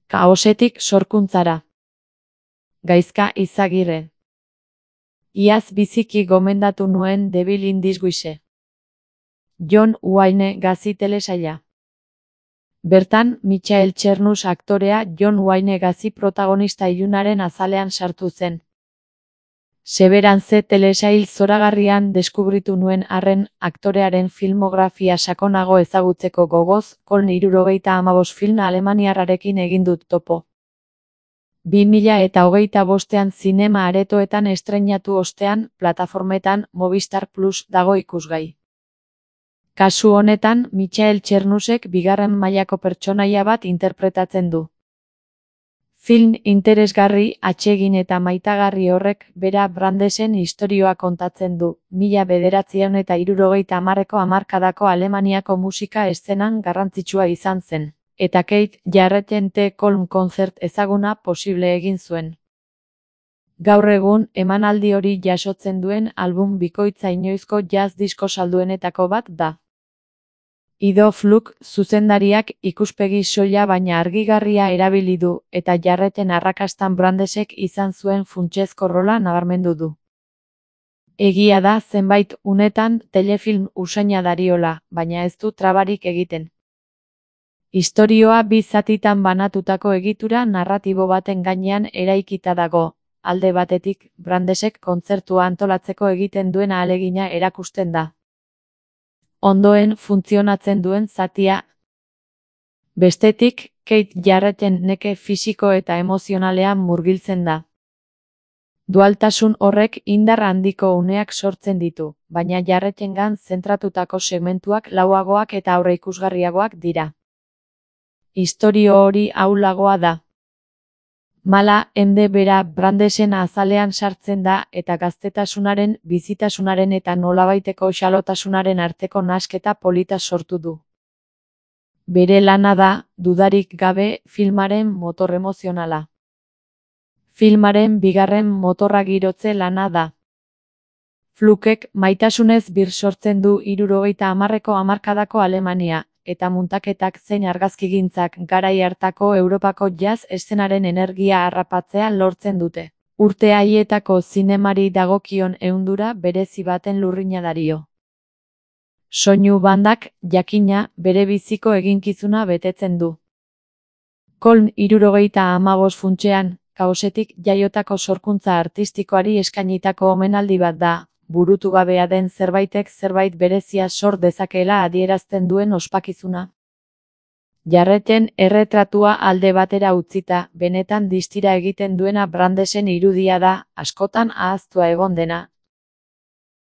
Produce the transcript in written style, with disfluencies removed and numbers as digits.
Kaosetik sorkuntzara. Gaizka Izagirre. Iaz biziki gomendatu nuen Devil in Disguise. John Wayne Gacy telesaila. Bertan, Michael Chernus aktorea John Wayne Gacy protagonista ilunaren azalean sartu zen. Severance telesail zoragarrian deskubritu nuen arren, aktorearen filmografia sakonago ezagutzeko gogoz, Köln 75 film alemaniarrarekin egin dut topo. 2025an zinema aretoetan estreinatu ostean, plataformetan Movistar Plus dago ikusgai. Kasu honetan, Michael Chernusek bigarren mailako pertsonaia bat interpretatzen du. Film interesgarri, atsegin eta maitagarri horrek bera Brandesen istorioa kontatzen du, 1970ko hamarkadako Alemaniako musika eszenan garrantzitsua izan zen, eta Keith Jarretten The Köln Konzert ezaguna posible egin zuen. Gaur egun, emanaldi hori jasotzen duen album bikoitza inoizko jazz disko salduenetako bat da. Ido Fluk zuzendariak ikuspegi soila baina argigarria erabili du, eta Jarretten arrakastan Brandesek izan zuen funtsezko rola nabarmendu du. Egia da zenbait unetan telefilm usaina dariola, baina ez du trabarik egiten. Istorioa bi zatitan banatutako egitura narratibo baten gainean eraikita dago, alde batetik, Brandesek kontzertua antolatzeko egiten duen ahalegina erakusten da. Ondoen funtzionatzen duen zatia. Bestetik, Keith Jarretten neke fisiko eta emozionalean murgiltzen da. Dualtasun horrek indar handiko uneak sortzen ditu, baina Jarrettengan zentratutako segmentuak lauagoak eta aurreikusgarriagoak dira. Istorio hori ahulagoa da. Mala ende bera Brandesen azalean sartzen da eta gaztetasunaren, bizitasunaren eta nolabaiteko xalotasunaren arteko nahasketa polita sortu du. Bere lana da, dudarik gabe, filmaren motor emozionala. Filmaren bigarren motorra girotze lana da. Flukek maitasunez bir sortzen du 70ko hamarkadako Alemania, eta muntaketak zein argazkigintzak garai hartako Europako jazz eszenaren energia harrapatzea lortzen dute. Urte haietako zinemari dagokion ehundura berezi baten lurrina dario. Soinu bandak, jakina, bere biziko eginkizuna betetzen du. Köln 75 funtsean, kaosetik jaiotako sorkuntza artistikoari eskainitako omenaldi bat da, burutu gabea den zerbaitek zerbait berezia sor dezakeela adierazten duen ospakizuna. Jarretten erretratua alde batera utzita, benetan distira egiten duena Brandesen irudia da, askotan ahaztua egon dena,